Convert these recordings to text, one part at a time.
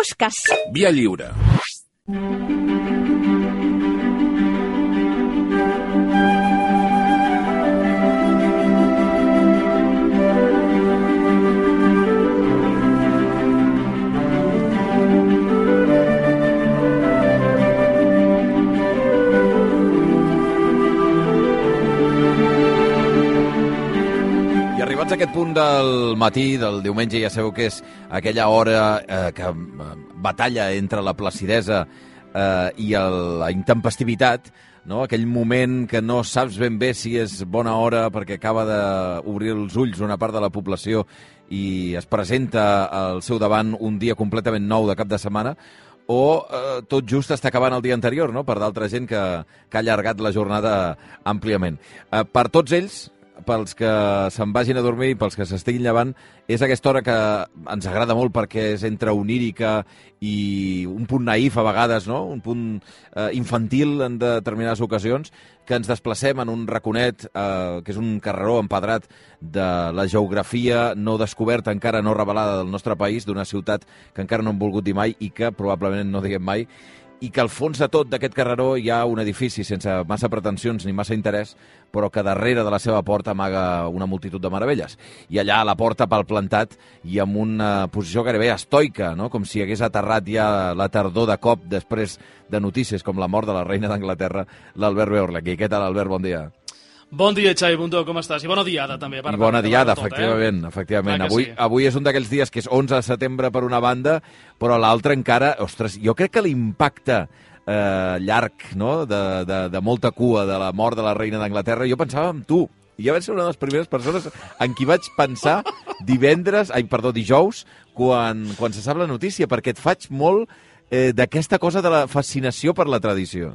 mosques. Via lliure. Arribats a aquest punt del matí, del diumenge, ja sabeu que és aquella hora que batalla entre la placidesa i la intempestivitat, no? Aquell moment que no saps ben bé si és bona hora perquè acaba d'obrir els ulls una part de la població i es presenta al seu davant un dia completament nou de cap de setmana, o tot just està acabant el dia anterior, no? Per d'altra gent que ha allargat la jornada àmpliament. Per tots ells, pels que se'n vagin a dormir i pels que s'estiguin llevant, és aquesta hora que ens agrada molt perquè és entre onírica i un punt naïf a vegades, no? Un punt infantil en determinades ocasions, que ens desplacem en un raconet, que és un carreró empedrat de la geografia no descoberta, encara no revelada del nostre país, d'una ciutat que encara no hem volgut dir mai i que probablement no diguem mai, i que al fons de tot d'aquest carreró hi ha un edifici sense massa pretensions ni massa interès, però que darrere de la seva porta amaga una multitud de meravelles. I allà a la porta palplantat i amb una posició gairebé estoica, no? Com si hagués aterrat ja la tardor de cop després de notícies com la mort de la reina d'Anglaterra, l'Albert Beorlequi. Què tal, Albert? Bon dia. Bon dia, Xavi Bundó, com estàs? I bona diada, també. I bona diada, efectivament. Efectivament. Avui és un d'aquells dies que és 11 de setembre per una banda, però l'altra encara... Ostres, jo crec que l'impacte llarg, no?, de molta cua de la mort de la reina d'Anglaterra, jo pensava en tu. I ja vaig ser una de les primeres persones en qui vaig pensar dijous, quan se sap la notícia, perquè et faig molt d'aquesta cosa de la fascinació per la tradició.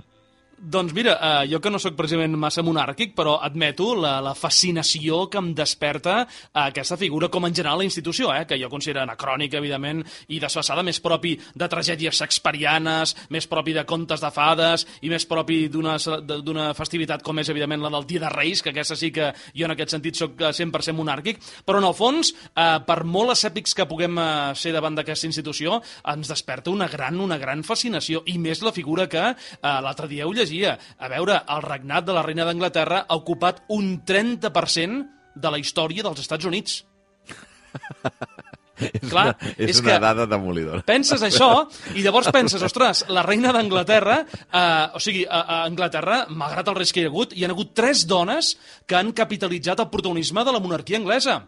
Doncs mira, jo que no sóc precisament massa monàrquic, però admeto la fascinació que em desperta aquesta figura, com en general la institució, que jo considero anacrònica, evidentment, i desfasada, més propi de tragèdies shakespearianes, més propi de contes de fades, i més propi d'una festivitat com és, evidentment, la del Dia de Reis, que aquesta sí que jo en aquest sentit sóc 100% monàrquic, però en el fons, per molt escèptics que puguem ser davant d'aquesta institució, ens desperta una gran fascinació, i més la figura que l'altre dia ho llegia. A veure, el regnat de la reina d'Anglaterra ha ocupat un 30% de la història dels Estats Units. És una dada demolidora. Penses això i llavors penses, ostres, la reina d'Anglaterra, a Anglaterra, malgrat els reis que hi ha hagut 3 dones que han capitalitzat el protagonisme de la monarquia anglesa.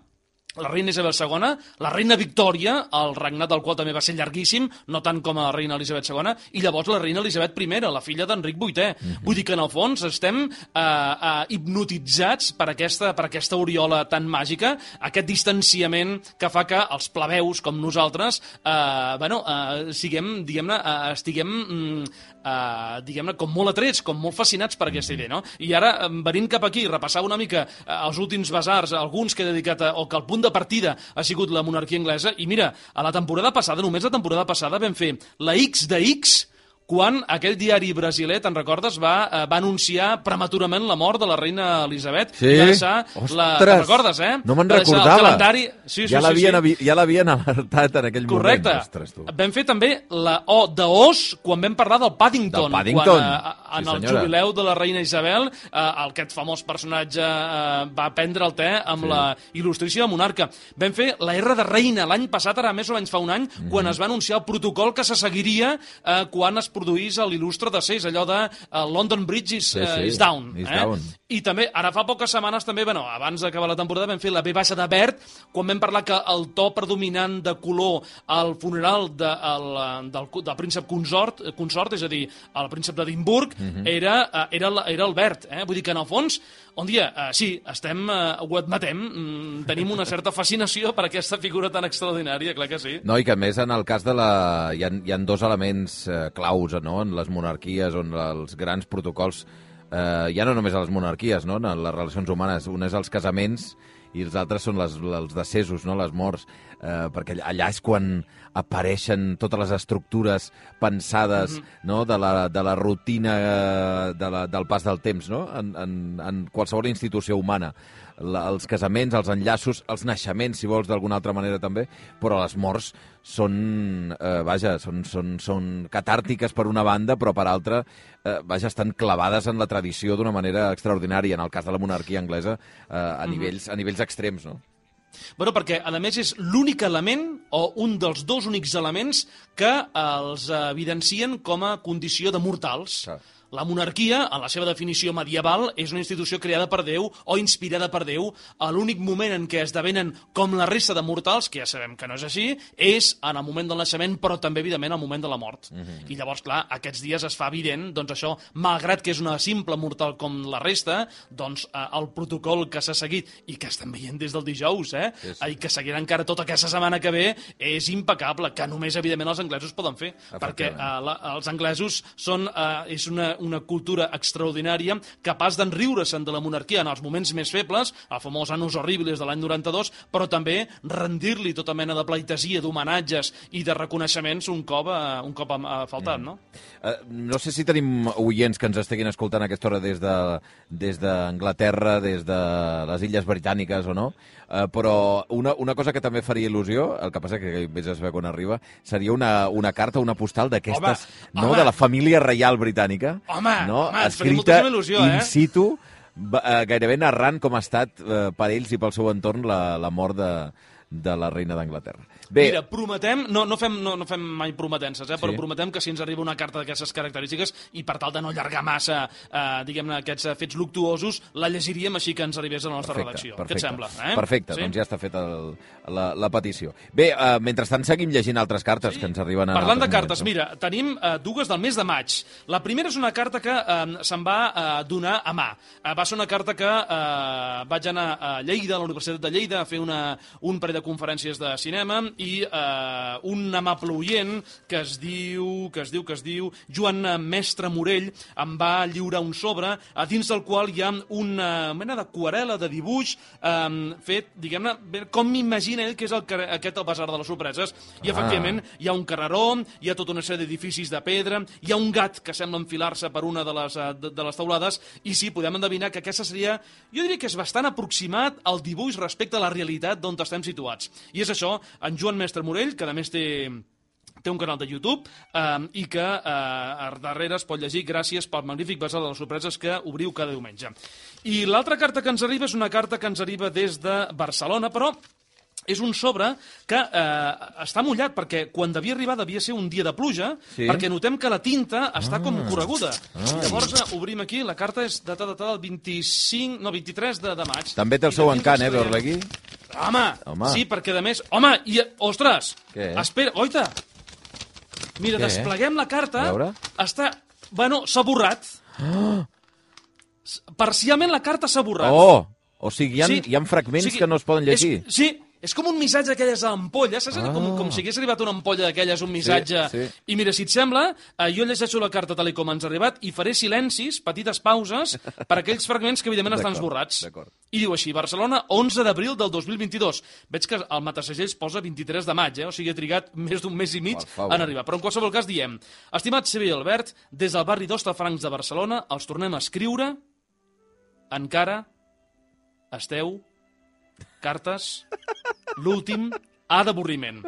La reina Isabel II, la reina Victòria, el regnat del qual també va ser llarguíssim, no tant com la reina Elisabet II, i llavors la reina Elisabet I, la filla d'Enric VIII. Vull dir que en el fons estem hipnotitzats per aquesta oriola tan màgica, aquest distanciament que fa que els plebeus, com nosaltres, estiguem com molt atrets, com molt fascinats per aquesta idea, no? I ara, venint cap aquí, repassar una mica els últims basars, alguns que he dedicat o que el punt de partida ha sigut la monarquia anglesa, i mira, a la temporada passada, només la temporada passada, vam fer la X de X, quan aquell diari brasiler, te'n recordes, va anunciar prematurament la mort de la reina Elisabet. Sí? Ostres! Te'n recordes, No me'n recordava. Sí. Ja l'havien alertat en aquell moment. Correcte. Ostres, tu. Vam fer també la O d'Os quan vam parlar del Paddington. Quan en el jubileu de la reina Isabel, aquest famós personatge va prendre el te amb la il·lustríssima monarca. Vam fer la R de reina l'any passat, ara més o menys fa un any, quan es va anunciar el protocol que se seguiria quan es produís l'il·lustre decés, allò de London Bridge is down. I també, ara fa poques setmanes, també, abans d'acabar la temporada, vam fer la V baixa de verd, quan vam parlar que el to predominant de color al funeral del príncep consort, és a dir, el príncep d'Edimburg, era el verd. Vull dir que, en el fons, sí, ho admetem, tenim una certa fascinació per aquesta figura tan extraordinària, clar que sí. No, i que a més en el cas de hi ha 2 elements claus, no?, en les monarquies, on els grans protocols, ja no només a les monarquies, no?, en les relacions humanes, un és els casaments i els altres són els decessos, no?, les morts. perquè allà és quan apareixen totes les estructures pensades no? de la rutina del pas del temps, no? En qualsevol institució humana. Els casaments, els enllaços, els naixements, si vols, d'alguna altra manera també, però les morts són catàrtiques per una banda, però per altra, estan clavades en la tradició d'una manera extraordinària, en el cas de la monarquia anglesa, a nivells extrems, no? Bueno, perquè, a més, és l'únic element, o un dels dos únics elements, que els evidencien com a condició de mortals. La monarquia, en la seva definició medieval, és una institució creada per Déu o inspirada per Déu. L'únic moment en què esdevenen com la resta de mortals, que ja sabem que no és així, és en el moment del naixement, però també, evidentment, al moment de la mort. I llavors, clar, aquests dies es fa evident, doncs això, malgrat que és una simple mortal com la resta, doncs el protocol que s'ha seguit, i que estem veient des del dijous, i que seguirà encara tota aquesta setmana que ve, és impecable, que només, evidentment, els anglesos poden fer, perquè els anglesos és una cultura extraordinària, capaç d'enriure-se'n de la monarquia en els moments més febles, el famós Annus Horribilis de l'any 92, però també rendir-li tota mena de pleitesia, d'homenatges i de reconeixements un cop ha faltat, no? No sé si tenim oients que ens estiguin escoltant a aquesta hora des d'Anglaterra, des de les Illes Britàniques o no, però una cosa que també faria il·lusió, el que passa que més es veu quan arriba, seria una carta, una postal d'aquestes, no? De la família reial britànica, escrita in situ, gairebé narrant com ha estat per ells i pel seu entorn la mort de la reina d'Anglaterra. Bé, mira, prometem, no fem mai prometences, però prometem que si ens arriba una carta d'aquestes característiques i per tal de no allargar massa, diguem-ne, aquests fets luctuosos, la llegiríem així que ens arribés a la nostra redacció. Què et sembla? Perfecte, doncs ja està feta la petició. Bé, mentrestant seguim llegint altres cartes que ens arriben. Parlant de cartes, mira, tenim dues del mes de maig. La primera és una carta que se'n va donar a mà. Va ser una carta que vaig anar a Lleida, a la Universitat de Lleida, a fer un parell de conferències de cinema, i un amable oient que es diu Joan Mestre Morell em va lliurar un sobre dins del qual hi ha una mena d'aquarel·la, de dibuix fet, diguem-ne, com m'imagina ell que és aquest el Basar de les Sorpreses, i efectivament hi ha un carreró, hi ha tota una sèrie d'edificis de pedra, hi ha un gat que sembla enfilar-se per una de les teulades, i sí, podem endevinar que aquesta seria, jo diria que és bastant aproximat al dibuix respecte a la realitat d'on estem situats. I és això, en Joan Mestre Morell, que a més té un canal de YouTube i que darrere es pot llegir gràcies pel magnífic Basar de les Sorpreses que obriu cada diumenge. I l'altra carta que ens arriba és una carta que ens arriba des de Barcelona, però és un sobre que està mullat, perquè quan devia arribar devia ser un dia de pluja, perquè notem que la tinta està com correguda. Llavors obrim aquí, la carta és datada del 23 de maig. També té el seu encant, veure-la aquí? Home, sí, perquè a més... Home, i... Ostres! Espera, oita! Mira, despleguem la carta. Està... Bueno, s'ha borrat. Parcialment la carta s'ha borrat. O sigui, hi ha fragments que no es poden llegir. Sí, és com un missatge d'aquelles ampolles, saps? Com si hagués arribat una ampolla d'aquelles, un missatge. I mira, si et sembla, jo llegeixo la carta tal com ens ha arribat i faré silencis, petites pauses, per aquells fragments que evidentment estan esborrats. I diu així: Barcelona, 11 d'abril del 2022. Veig que el matasegells posa 23 de maig, o sigui, ha trigat més d'un mes i mig en arribar. Però en qualsevol cas diem: estimat Xavier Albert, des del barri d'Hostafrancs de Barcelona els tornem a escriure. Encara esteu... Cartes, l'últim, A d'avorriment.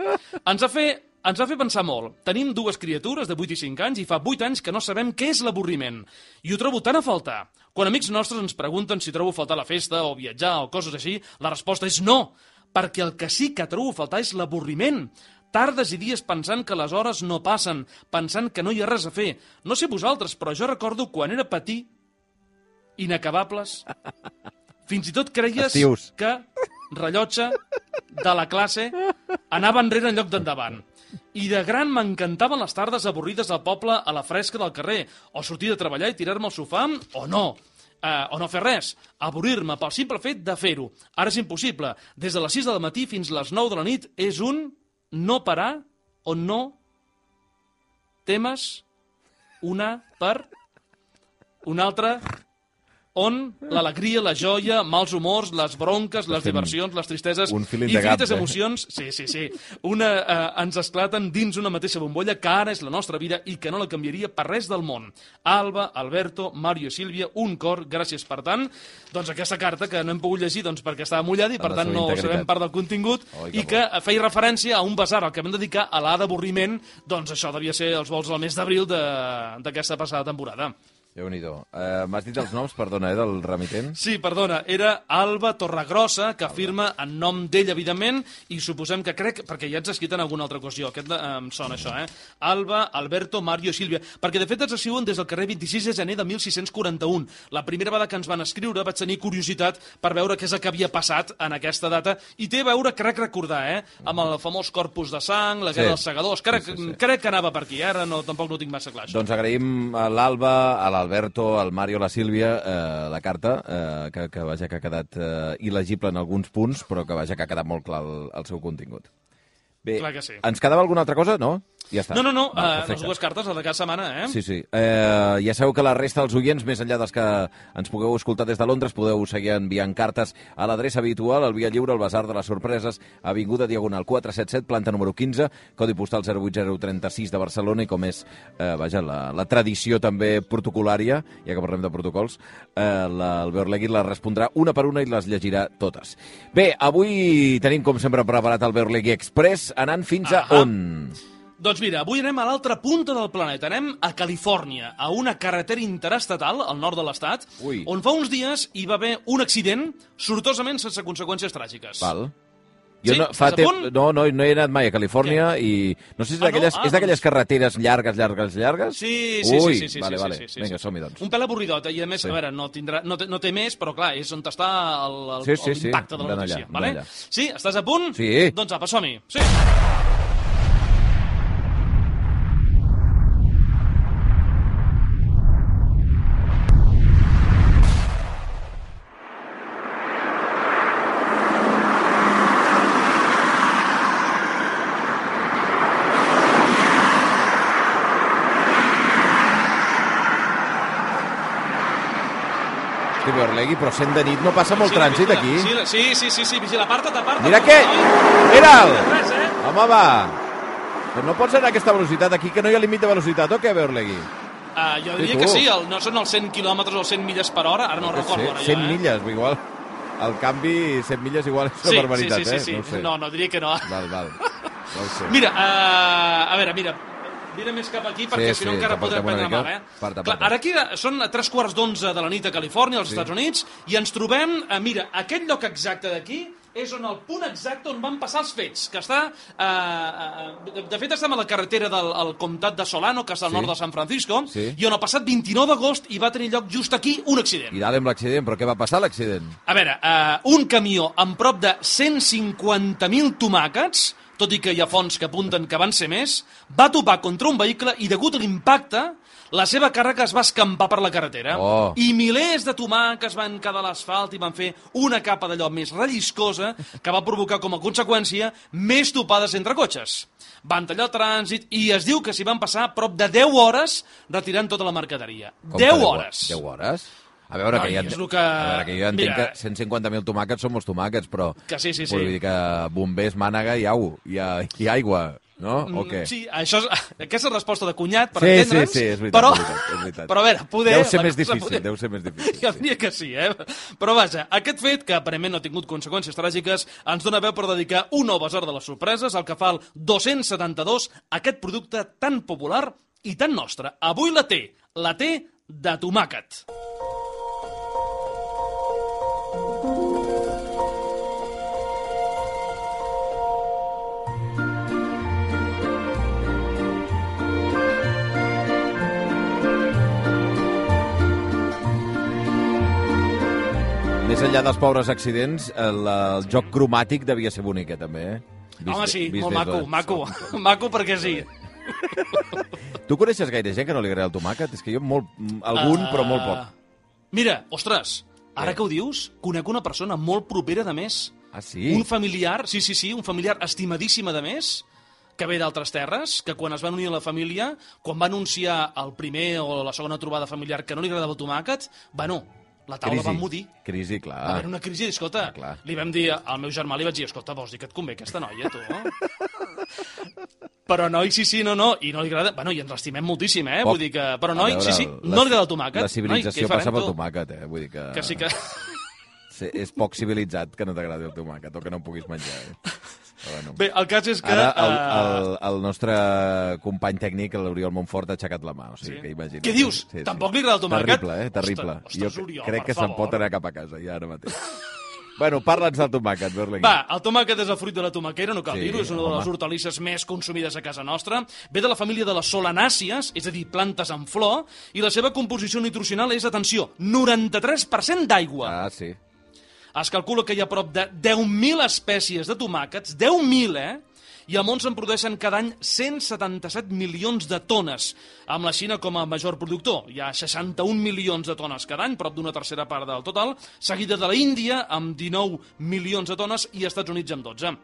Ens va fer pensar molt. Tenim dues criatures de 8 i 5 anys i fa 8 anys que no sabem què és l'avorriment. I ho trobo tan a faltar. Quan amics nostres ens pregunten si trobo a faltar la festa o viatjar o coses així, la resposta és no, perquè el que sí que trobo a faltar és l'avorriment. Tardes i dies pensant que les hores no passen, pensant que no hi ha res a fer. No sé vosaltres, però jo recordo quan era petit, inacabables, fins i tot creies que rellotge de la classe anava enrere en lloc d'endavant. I de gran m'encantaven les tardes avorrides al poble a la fresca del carrer, o sortir de treballar i tirar-me al sofà, o no fer res, avorrir-me pel simple fet de fer-ho. Ara és impossible. Des de les 6 del matí fins les 9 de la nit és un no parar o no temes una per una altra on l'alegria, la joia, mals humors, les bronques, les diversions, les tristeses, infinites emocions, ens esclaten dins una mateixa bombolla que ara és la nostra vida i que no la canviaria per res del món. Alba, Alberto, Mario i Sílvia, un cor, gràcies per tant. Doncs aquesta carta que no hem pogut llegir perquè estava mullada i per tant no sabem part del contingut i que feia referència a un basar al que vam dedicar a l'A d'avorriment, doncs això devia ser els vols del mes d'abril d'aquesta passada temporada. Déu-n'hi-do. M'has dit els noms, perdona, del remitent? Sí, perdona, era Alba Torregrossa, que firma en nom d'ell, evidentment, i suposem que crec, perquè ja ets escrit en alguna altra ocasió, aquest em sona això, Alba, Alberto, Mario i Sílvia, perquè de fet ens escriuen des del carrer 26 de gener de 1641. La primera vegada que ens van escriure vaig tenir curiositat per veure què és el que havia passat en aquesta data, i té a veure, crec recordar, amb el famós Corpus de Sang, la Guerra dels Segadors, crec que anava per aquí, ara tampoc no ho tinc massa clar, això. Doncs agraïm a l'Alba, a l'Alberto, al Mario, a la Sílvia, la carta, que vaja que ha quedat il·legible en alguns punts, però que vaja que ha quedat molt clar el seu contingut. Bé, ens quedava alguna altra cosa, no? Ja està. No, les dues cartes, la de cada setmana, Sí. Ja sabeu que la resta dels oients, més enllà dels que ens pugueu escoltar des de Londres, podeu seguir enviant cartes a l'adreça habitual, al Via Lliure, al Basar de les Sorpreses, Avinguda Diagonal 477, planta número 15, codi postal 08036 de Barcelona, i com és, la tradició també protocolària, ja que parlem de protocols, el Beorlegui la respondrà una per una i les llegirà totes. Bé, avui tenim, com sempre, preparat el Beorlegui Express, anant fins a on? Doncs mira, avui anem a l'altra punta del planeta. Anem a Califòrnia, a una carretera interestatal al nord de l'estat, on fa uns dies hi va haver un accident sortosament sense conseqüències tràgiques. Val. Jo no he anat mai a Califòrnia i no sé si és d'aquelles carreteres llargues? Sí. Vale. Vinga, som-hi, doncs. Un pèl avorridot, i a més, a veure, no té més, però clar, és on està l'impacte de la notícia. Sí, estàs a punt? Sí. Doncs apa, som-hi. Sí. Beorlegui, però sent de nit no passa molt trànsit aquí. Sí, vigila, aparta't. Mira què! Mira'l! Home, va! Però no pots anar a aquesta velocitat aquí, que no hi ha límit de velocitat, o què, Beorlegui? Jo diria que sí, no són els 100 quilòmetres o 100 milles per hora, ara no recordo. 100 milles, igual. El canvi, 100 milles igual és una barbaritat, Sí. No, diria que no. Val. No ho sé. Mira, a veure, vine més cap aquí, perquè si no encara podrem prendre mal, Clar, ara aquí són 3:15 de la nit a Califòrnia, als Estats Units, i ens trobem, mira, aquest lloc exacte d'aquí és on el punt exacte on van passar els fets, que està... de fet, estem a la carretera del comtat de Solano, que està al nord de San Francisco, i on el passat 29 d'agost hi va tenir lloc just aquí un accident. I dale amb l'accident, però què va passar l'accident? A veure, un camió amb prop de 150.000 tomàquets, tot i que hi ha fonts que apunten que van ser més, va topar contra un vehicle i, degut a l'impacte, la seva càrrega es va escampar per la carretera. I milers de tomàquets van quedar a l'asfalt i van fer una capa d'allò més relliscosa que va provocar com a conseqüència més topades entre cotxes. Van tallar el trànsit i es diu que s'hi van passar prop de 10 hores retirant tota la mercaderia. 10 hores! 10 hores? A veure, que jo entenc que 150.000 tomàquets són molts tomàquets, però... Que sí. Vull dir que bombers, mànega i aigua, no? O què? Sí, aquesta resposta de cunyat, per entendre'ns... Sí, és veritat. Però a veure, poder... Deu ser més difícil. Jo diria que sí, Però vaja, aquest fet, que aparentment no ha tingut conseqüències tràgiques, ens dona veu per dedicar un nou basar de les sorpreses, el que fa el 272, aquest producte tan popular i tan nostre. Avui la té de tomàquet. Més enllà dels pobres accidents, el joc cromàtic devia ser bonic, també, Home, sí, molt maco perquè sí. Tu coneixes gaire gent que no li agrada el tomàquet? És que jo però molt poc. Mira, ostres, ara que ho dius, conec una persona molt propera de més. Ah, sí? Un familiar, sí, un familiar estimadíssima de més, que ve d'altres terres, que quan es van unir a la família, quan va anunciar el primer o la segona trobada familiar que no li agradava el tomàquet, La taula va emmudir. Crisi, clar. Va haver una crisi, escolta, li vam dir al meu germà, li vaig dir, escolta, vols dir que et convé aquesta noia, tu? Però noi, sí, no, i no li agrada... Bueno, i ens l'estimem moltíssim, Vull dir que... Però noi, sí, no li agrada el tomàquet. La civilització passa pel tomàquet, Vull dir que... Que sí que... És poc civilitzat que no t'agradi el tomàquet o que no puguis menjar, Bueno. Bé, el cas és que... Ara el nostre company tècnic, l'Oriol Montfort, ha aixecat la mà. O sigui, que imagina't. Què dius? Tampoc li agrada el tomàquet? Terrible, Ostres, Oriol, crec que se'n pot anar cap a casa, ja ara mateix. Bueno, parla'ns del tomàquet, Berlingui. Va, el tomàquet és el fruit de la tomaquera, no cal dir-ho, és una de les hortalisses més consumides a casa nostra. Ve de la família de les solanàcies, és a dir, plantes en flor, i la seva composició nutricional és, atenció, 93% d'aigua. Ah, sí. Es calcula que hi ha prop de 10.000 espècies de tomàquets, 10.000, i al món se'n produeixen cada any 177 milions de tones, amb la Xina com a major productor. Hi ha 61 milions de tones cada any, prop d'una tercera part del total, seguida de la Índia, amb 19 milions de tones, i Estats Units amb 12.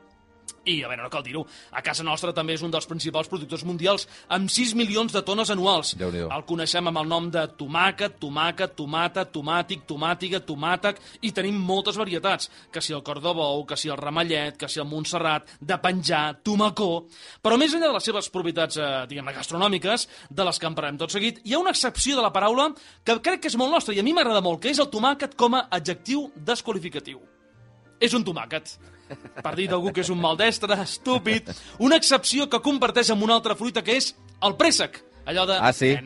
I, a veure, no cal dir-ho, a casa nostra també és un dels principals productors mundials, amb 6 milions de tones anuals. El coneixem amb el nom de tomàquet, tomata, tomàtic, tomàtiga, tomàtec, i tenim moltes varietats, que si el cor de bou, que si el ramellet, que si el Montserrat, de penjar, tomacó... Però més enllà de les seves propietats, diguem-ne, gastronòmiques, de les que en parlem tot seguit, hi ha una excepció de la paraula que crec que és molt nostra i a mi m'agrada molt, que és el tomàquet com a adjectiu desqualificatiu. És un tomàquet. Per dir d'algú que és un maldestre, estúpid, una excepció que comparteix amb una altra fruita que és el préssec. Allò de... Ah, sí?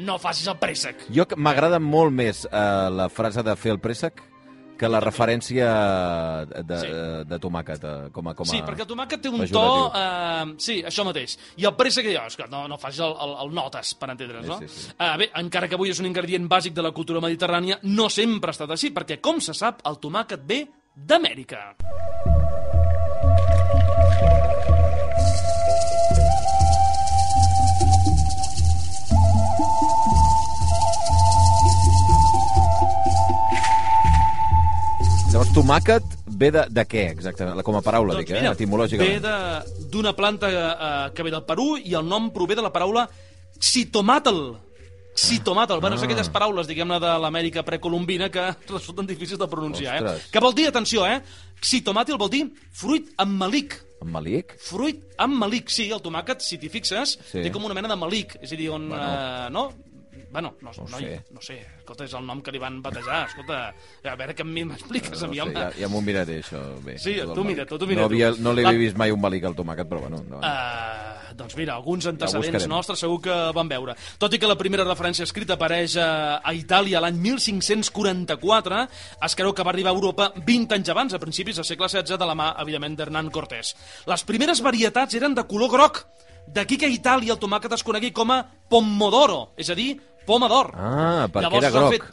No facis el préssec. Jo m'agrada molt més la frase de fer el préssec que la referència de tomàquet com a Sí, perquè el tomàquet té un to... Sí, això mateix. I el préssec, no facis el notes, per entendre's, no? Sí. Bé, encara que avui és un ingredient bàsic de la cultura mediterrània, no sempre ha estat així, perquè, com se sap, el tomàquet ve d'Amèrica. Llavors, tomàquet ve de què, exactament? Com a paraula, doncs mira, etimològicament. Ve d'una planta que ve del Perú i el nom prové de la paraula xitomatl. Xitomatl. Bueno, és aquelles paraules, diguem-ne, de l'Amèrica precolombina que resulten difícils de pronunciar. Que vol dir, atenció, xitomatl vol dir fruit amb melic. Amb melic? Fruit amb melic, sí. El tomàquet, si t'hi fixes, té com una mena de melic. És a dir, on... no sé, escolta, és el nom que li van batejar, escolta, a veure que m'expliques a mi, home. Ja m'ho miraré, això, bé. Sí, tu mira. No l'he vist mai un melic al tomàquet, però bueno. Doncs mira, alguns antecedents nostres segur que van veure. Tot i que la primera referència escrita apareix a Itàlia l'any 1544, es creu que va arribar a Europa 20 anys abans, a principis del segle XVI, de la mà, evidentment, d'Hernán Cortés. Les primeres varietats eren de color groc, d'aquí que a Itàlia el tomàquet es conegui com a pomodoro, és a dir, poma d'or. Ah, perquè era groc.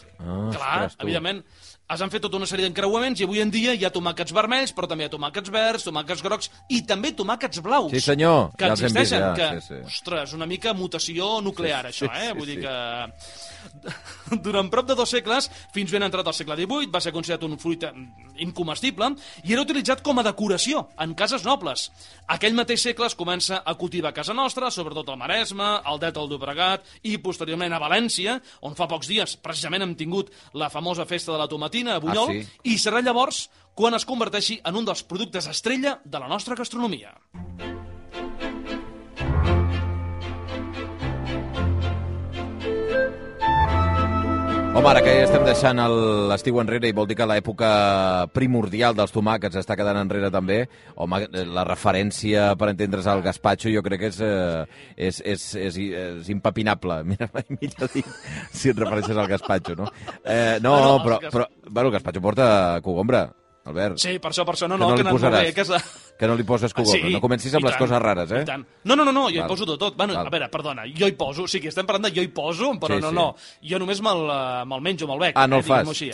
Clar, evidentment. Es han fet tota una sèrie d'encreuaments i avui en dia hi ha tomàquets vermells, però també hi ha tomàquets verds, tomàquets grocs i també tomàquets blaus. Sí, senyor. Que existeixen. Sí. Ostres, una mica mutació nuclear, això, Vull dir que... Durant prop de 2 segles, fins ben entrat al segle XVIII, va ser considerat un fruit incomestible i era utilitzat com a decoració en cases nobles. Aquell mateix segle es comença a cultivar a casa nostra, sobretot al Maresme, al Delta del Llobregat i posteriorment a València, on fa pocs dies precisament hem tingut la famosa festa de la tomatina a Bunyol, i serà llavors quan es converteixi en un dels productes estrella de la nostra gastronomia. Home, ara que ja estem deixant l'estiu enrere i vol dir que l'època primordial dels tomàquets està quedant enrere també, home, la referència, per entendre's, al gazpacho jo crec que és impepinable. Mira, millor dit, si et refereixes al gazpacho, no? Però el gazpacho porta cogombre, Albert. Sí, per això, que no posaràs. Que no li poses cogombre. Sí, no comencis amb les coses rares, eh? No, jo hi poso de tot. Bueno, a veure, perdona, jo hi poso, sí que estem parlant de jo hi poso, però no. Jo només me'l menjo, me'l bec. Ah, no el fas? Així,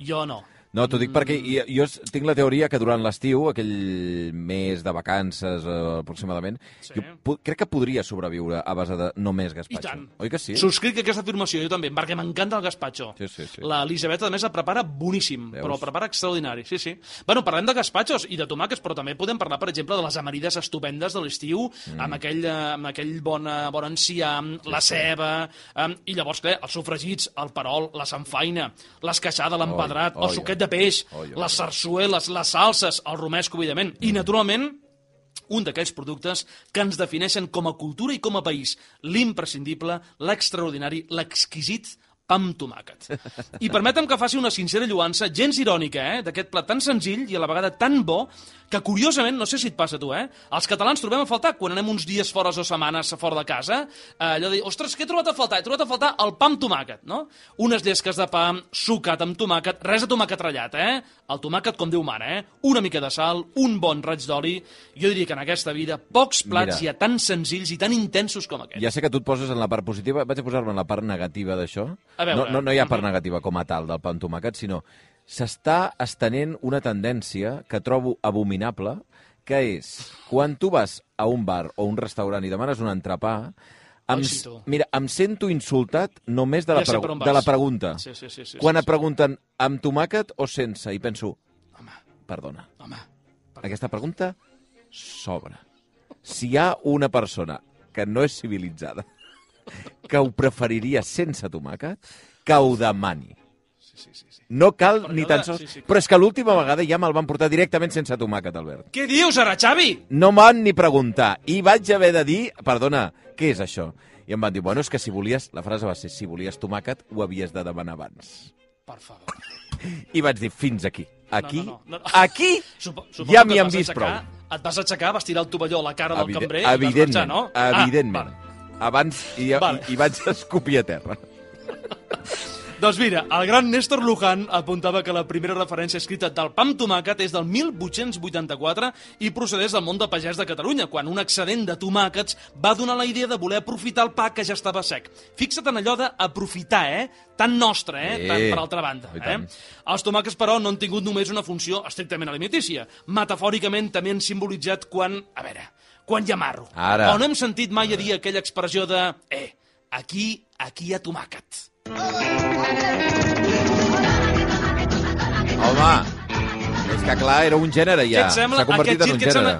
Jo no. No, t'ho dic perquè jo tinc la teoria que durant l'estiu, aquell mes de vacances aproximadament, jo crec que podria sobreviure a base de només gazpacho. I tant. Oi que sí? Subscric aquesta afirmació, jo també, perquè m'encanta el gazpacho. Sí. L'Elisabet, a més, el prepara boníssim, però el prepara extraordinari, sí. Bueno, parlem de gazpachos i de tomàquets, però també podem parlar, per exemple, de les amanides estupendes de l'estiu, amb aquell bon enciam, la ceba, i llavors, clar, els sofregits, el perol, la samfaina, l'esqueixada, l'empedrat, el suquet de peix, les sarsueles, les salses, el romesco, evidentment, i, naturalment, un d'aquells productes que ens defineixen com a cultura i com a país, l'imprescindible, l'extraordinari, l'exquisit pa amb tomàquet. I permetem que faci una sincera lloança, gens irònica, d'aquest plat tan senzill i a la vegada tan bo, que curiosament, no sé si et passa a tu, els catalans trobem a faltar, quan anem uns dies fora o setmanes fora de casa, allò de dir, ostres, què he trobat a faltar? He trobat a faltar el pa amb tomàquet, no? Unes llesques de pa, sucat amb tomàquet, res de tomàquet ratllat, el tomàquet com Déu mana, una mica de sal, un bon raig d'oli. Jo diria que en aquesta vida pocs plats hi ha tan senzills i tan intensos com aquest. Ja sé que tu et poses en la part positiva, vaig a posar-me en la part negativa d'això. No hi ha part negativa com a tal del pa amb tomàquet, sinó s'està estenent una tendència que trobo abominable, que és, quan tu vas a un bar o un restaurant i demanes un entrepà, em sento insultat només de la pregunta. Quan et pregunten amb tomàquet o sense, i penso, perdona, aquesta pregunta s'obre. Si hi ha una persona que no és civilitzada, que ho preferiria sense tomàquet, que ho demani. No cal ni tan sols... Però és que l'última vegada ja me'l van portar directament sense tomàquet, Albert. Què dius, ara, Xavi? No m'han ni preguntar. I vaig haver de dir, perdona, què és això? I em van dir, bueno, és que si volies... La frase va ser, si volies tomàquet, ho havies de demanar abans. Per favor. I vaig dir, fins aquí. Aquí ja m'hi han vist prou. Et vas aixecar, vas tirar el tovalló a la cara del cambrer i vas marxar, no? Evidentment. Abans hi vaig escopir a terra. Doncs mira, el gran Néstor Luján apuntava que la primera referència escrita del pa amb tomàquet és del 1884 i procedeix del món de pagès de Catalunya, quan un excedent de tomàquets va donar la idea de voler aprofitar el pa que ja estava sec. Fixa't en allò d'aprofitar, tan nostre, tant per altra banda. Els tomàquets, però, no han tingut només una funció estrictament alimentícia. Metafòricament també han simbolitzat quan hi ha marro. O no hem sentit mai a dir aquella expressió de aquí hi ha tomàquet. Home, és que clar, era un gènere ja. S'ha convertit en un gènere.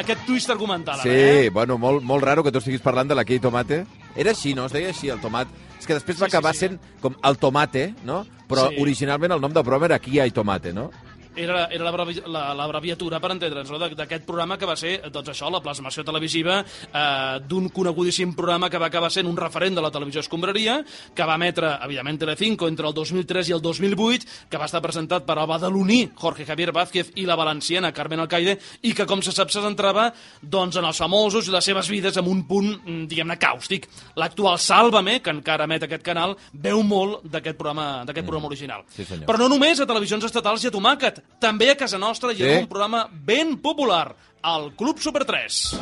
Aquest twist argumental. Sí, bueno, molt raro que tu estiguis parlant de l'Aquí Tomate. Era així, no? Es deia així, el tomat. És que després va acabar sent com el tomate, no? Però originalment el nom de programa era Aquí hi ha tomate, no? Era l'abreviatura, per entendre'ns, d'aquest programa que va ser, doncs això, la plasmació televisiva d'un conegudíssim programa que va acabar sent un referent de la televisió escombraria, que va emetre, evidentment, Telecinco entre el 2003 i el 2008, que va estar presentat per el badaloní Jorge Javier Vázquez i la valenciana Carmen Alcaide, i que, com se sap, se centrava doncs, en els famosos i les seves vides amb un punt, diguem-ne, càustic. L'actual Sálvame, que encara emet aquest canal, veu molt d'aquest programa original. Sí, però no només a televisions estatals i a tomàquet, també a casa nostra hi ha un programa ben popular, el Club Super 3.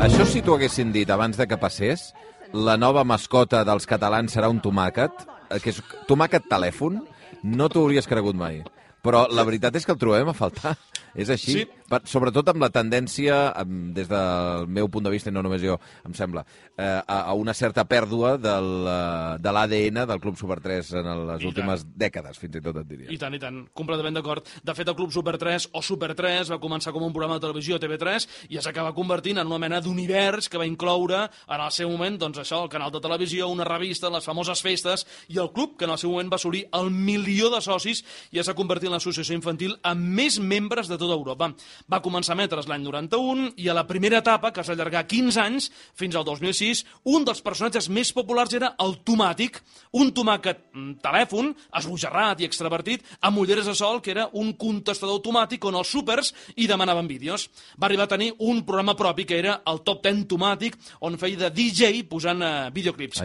Això si t'ho haguessin dit abans de que passés, la nova mascota dels catalans serà un tomàquet, que és tomàquet telèfon, no t'ho hauries cregut mai. Però la veritat és que el trobem a faltar. És així, sobretot amb la tendència, des del meu punt de vista, i no només jo, em sembla, a una certa pèrdua de l'ADN del Club Super 3 en les últimes dècades, fins i tot et diria. I tant, completament d'acord. De fet, el Club Super 3 o Super 3 va començar com un programa de televisió a TV3 i ja s'acaba convertint en una mena d'univers que va incloure en el seu moment, doncs això, el canal de televisió, una revista, les famoses festes, i el club, que en el seu moment va assolir el 1.000.000 de socis i ja s'ha convertit en l'associació infantil amb més membres de tota Europa. Va començar a emetre's l'any 91 i a la primera etapa, que es va allargar 15 anys, fins al 2006, un dels personatges més populars era el Tomàtic, un tomàquet telèfon, esbojarrat i extravertit, amb ulleres de sol, que era un contestador automàtic on els súpers hi demanaven vídeos. Va arribar a tenir un programa propi que era el Top 10 Tomàtic, on feia de DJ posant videoclips.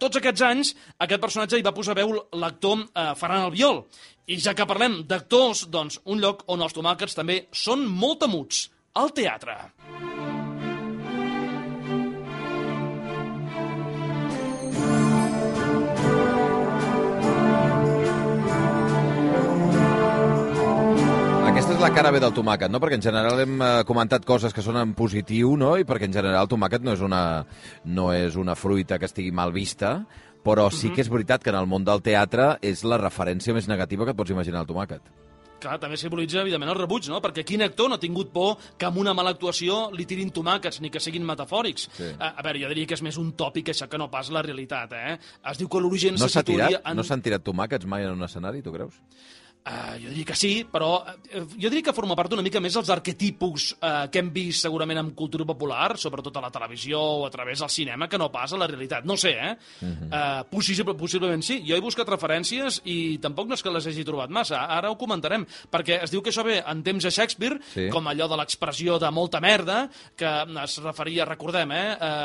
Tots aquests anys, aquest personatge hi va posar veu l'actor Ferran Albiol. I ja que parlem d'actors, doncs un lloc on els tomàquets també són molt temuts, el teatre. la cara B del tomàquet, no? Perquè en general hem comentat coses que són en positiu, no? I perquè en general el tomàquet no és una fruita que estigui mal vista, però sí que és veritat que en el món del teatre és la referència més negativa que et pots imaginar el tomàquet. Clar, també simbolitza, evidentment, el rebuig, no? Perquè quin actor no ha tingut por que amb una mala actuació li tirin tomàquets, ni que siguin metafòrics? Sí. A veure, jo diria que és més un tòpic això que no pas la realitat, eh? Es diu que l'origen se situaria... No s'han tirat tomàquets mai en un escenari, tu creus? Jo diria que sí, però jo diria que forma part una mica més dels arquetipus que hem vist segurament en cultura popular, sobretot a la televisió o a través del cinema, que no pas a la realitat. No sé, possiblement sí. Jo he buscat referències i tampoc no és que les hagi trobat massa. Ara ho comentarem, perquè es diu que això ve en temps de Shakespeare, com allò de l'expressió de molta merda, que es referia, recordem,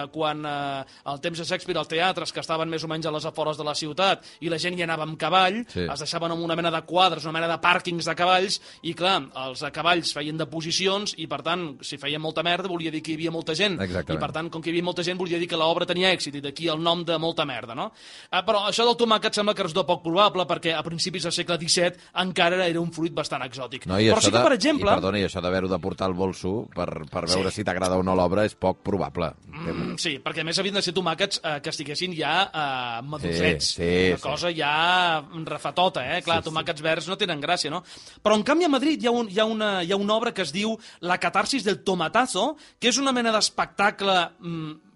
quan al temps de Shakespeare els teatres que estaven més o menys a les afores de la ciutat i la gent hi anava amb cavall, es deixaven amb una mena de quadres, una mena de pàrquings de cavalls, i clar, els cavalls feien deposicions i per tant, si feien molta merda volia dir que hi havia molta gent. Exactament. I per tant, com que hi havia molta gent volia dir que l'obra tenia èxit, i d'aquí el nom de molta merda, no? Però això del tomàquet sembla que resulta poc probable, perquè a principis del segle XVII encara era un fruit bastant exòtic. No, però sí que, per exemple... I això d'haver-ho de portar al bolso per veure si t'agrada o no l'obra és poc probable. Sí, perquè a més havien de ser tomàquets que estiguessin ja madurets. Una cosa ja refatota, Clar, tomàquets verds no tenen gràcia, no? Però, en canvi, a Madrid hi ha una obra que es diu La catarsis del tomatazo, que és una mena d'espectacle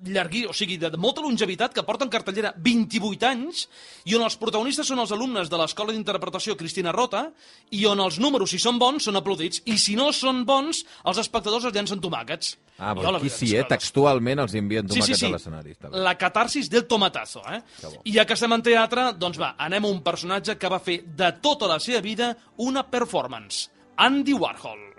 llargui, o sigui, de molta longevitat, que porta en cartellera 28 anys, i on els protagonistes són els alumnes de l'Escola d'Interpretació Cristina Rota, i on els números, si són bons, són aplaudits, i si no són bons, els espectadors es llancen tomàquets. Però aquí sí, textualment els envien tomàquets a l'escenari. La catarsis del tomatazo, I ja que estem en teatre, doncs va, anem a un personatge que va fer de tota la seva vida una performance. Andy Warhol.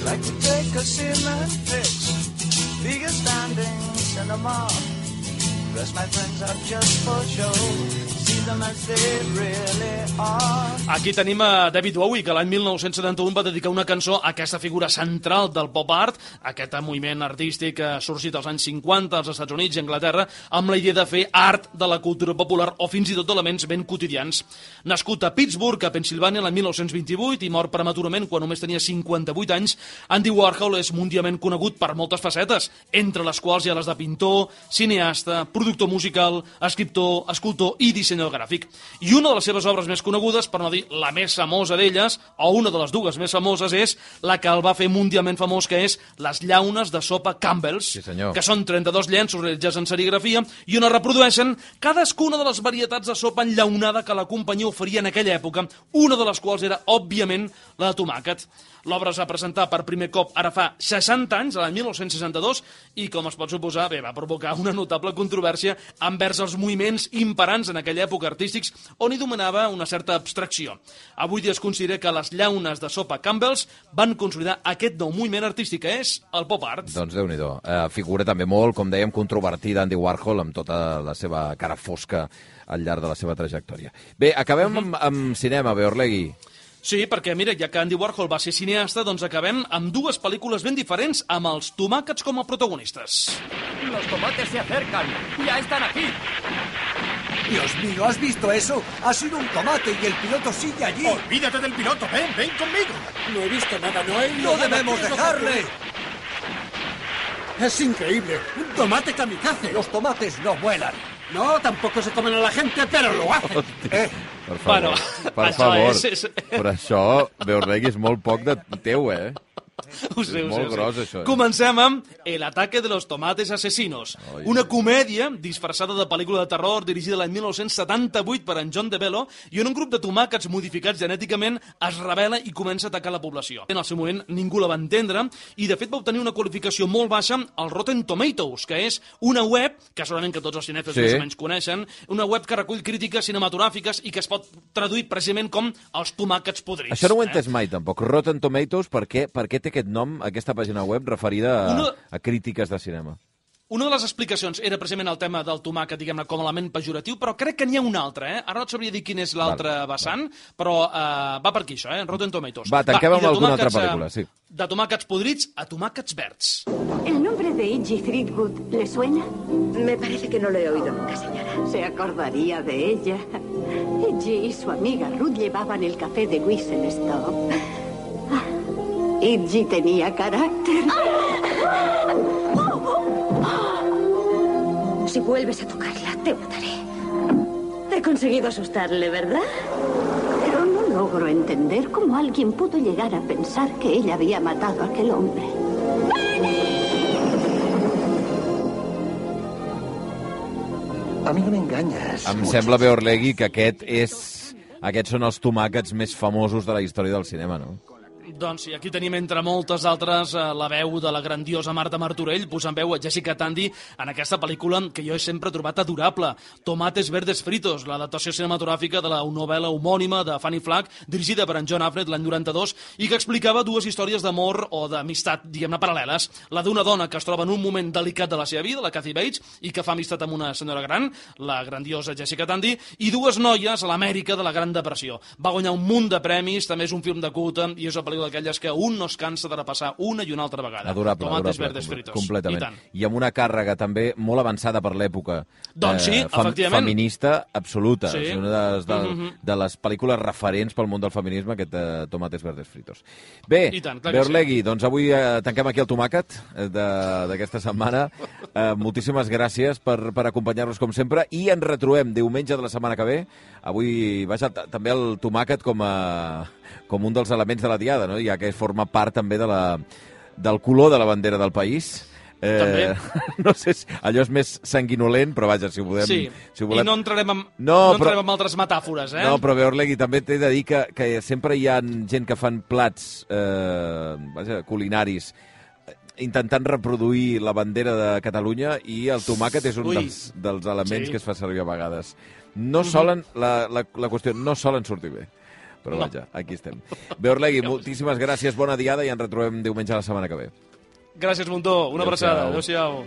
Like to take a cement fix, big standing cinema. Dress my friends up just for show. See them as they really are. Aquí tenim a David Bowie, que l'any 1971 va dedicar una cançó a aquesta figura central del pop art, aquest moviment artístic que ha sorgit als anys 50 als Estats Units i Anglaterra, amb la idea de fer art de la cultura popular o fins i tot d'elements ben quotidians. Nascut a Pittsburgh, a Pensilvània, l'any 1928 i mort prematurament quan només tenia 58 anys, Andy Warhol és mundialment conegut per moltes facetes, entre les quals hi ha les de pintor, cineasta, productor musical, escriptor, escultor i dissenyador gràfic. I una de les seves obres més conegudes, per no dir la més famosa d'elles, o una de les dues més famoses, és la que el va fer mundialment famós, que és les llaunes de sopa Campbell's, que són 32 llenços realitzats en serigrafia i on es reprodueixen cadascuna de les varietats de sopa enllaunada que la companyia oferia en aquella època, una de les quals era, òbviament, la de tomàquet. L'obra es va presentar per primer cop ara fa 60 anys, l'any 1962, i, com es pot suposar, va provocar una notable controvèrsia envers els moviments imperants en aquella època artístics, on hi dominava una certa abstracció. Avui dia es considera que les llaunes de sopa Campbell's van consolidar aquest nou moviment artístic, que és el pop art. Doncs Déu-n'hi-do. Figura també molt, com dèiem, controvertida Andy Warhol, amb tota la seva cara fosca al llarg de la seva trajectòria. Bé, acabem amb cinema, Beorlegui. Sí, perquè, mira, ja que Andy Warhol va ser cineasta, doncs acabem amb dues pel·lícules ben diferents amb els tomàquets com a protagonistes. Los tomates se acercan. Ya están aquí. Dios mío, ¿has visto eso? Ha sido un tomate y el piloto sigue allí. Olvídate del piloto. Ven conmigo. No he visto nada, no debemos dejarle. Es increíble. Un tomate kamikaze. Los tomates no vuelan. No, tampoco se comen a la gente, pero lo hacen. Per favor, per favor. Però això, Beorlegui, és molt poc de teu, Ho sé. Gros, això. Comencem amb El ataque de los tomates asesinos, una comèdia disfressada de pel·lícula de terror dirigida l'any 1978 per en John DeVello, i on un grup de tomàquets modificats genèticament es rebel·la i comença a atacar la població. En el seu moment ningú la va entendre i de fet va obtenir una qualificació molt baixa al Rotten Tomatoes, que és una web que segurament que tots els cinèfils més o menys coneixen, una web que recull crítiques cinematogràfiques i que es pot traduir precisament com els tomàquets podrits. Això no ho he entès mai, tampoc. Rotten Tomatoes, per què té aquest nom, aquesta pàgina web referida a crítiques de cinema? Una de les explicacions era precisament el tema del tomàquet, diguem-ne, com a element pejoratiu, però crec que n'hi ha un altre, Ara no et sabria dir quin és l'altre vessant, però va per aquí, això, Rotten Tomatoes. Va, tanquem amb alguna altra pel·lícula, sí. De tomàquets podrits a tomàquets verds. ¿El nombre de Iggy Threadgood le suena? Me parece que no lo he oído nunca, señora. Se acordaría de ella. Iggy y su amiga Ruth llevaban el café de Whistle Stop. Iggy tenía carácter. Si vuelves a tocarla, te mataré. He conseguido asustarle, ¿verdad? Pero no logro entender cómo alguien pudo llegar a pensar que ella había matado a aquel hombre. A mi no m'enganyes. Em sembla, Beorlegui, que aquests són els tomàquets més famosos de la història del cinema, no? Doncs sí, aquí tenim entre moltes altres la veu de la grandiosa Marta Martorell, posant veu a Jessica Tandy en aquesta pel·lícula que jo he sempre trobat adorable, Tomates Verdes Fritos, l'adaptació cinematogràfica de la novel·la homònima de Fanny Flagg, dirigida per en John Affleck l'any 92, i que explicava dues històries d'amor o d'amistat, diguem-ne, paral·leles. La d'una dona que es troba en un moment delicat de la seva vida, la Kathy Bates, i que fa amistat amb una senyora gran, la grandiosa Jessica Tandy, i dues noies a l'Amèrica de la Gran Depressió. Va guanyar un munt de premis, també és un film de culte, i és una pel·lícula d'aquelles que un no es cansa de repassar una i una altra vegada. Tomates verdes fritos. Completament. I amb una càrrega també molt avançada per l'època. Doncs sí, efectivament. Feminista absoluta. Sí. És una de les pel·lícules referents pel món del feminisme, aquest Tomates verdes fritos. Bé, Beorlegui, doncs avui tanquem aquí el tomàquet d'aquesta setmana. Moltíssimes gràcies per acompanyar-nos com sempre i ens retrobem diumenge de la setmana que ve. Avui, vaja, també el tomàquet com un dels elements de la diada, no? Ja que forma part també del color de la bandera del país. No sé, allò és més sanguinolent, però vaja, si ho podem... Sí, si ho volem... i no entrarem en altres metàfores, No, però Beorlegui, també t'he de dir que sempre hi ha gent que fan plats culinaris intentant reproduir la bandera de Catalunya i el tomàquet és un dels elements que es fa servir a vegades. No solen, la qüestió, no solen sortir bé. Però vaja, aquí estem. Beorlegui, moltíssimes gràcies, bona diada i ens retrobem diumenge la setmana que ve. Gràcies, Montó. Una abraçada. Adéu-siau.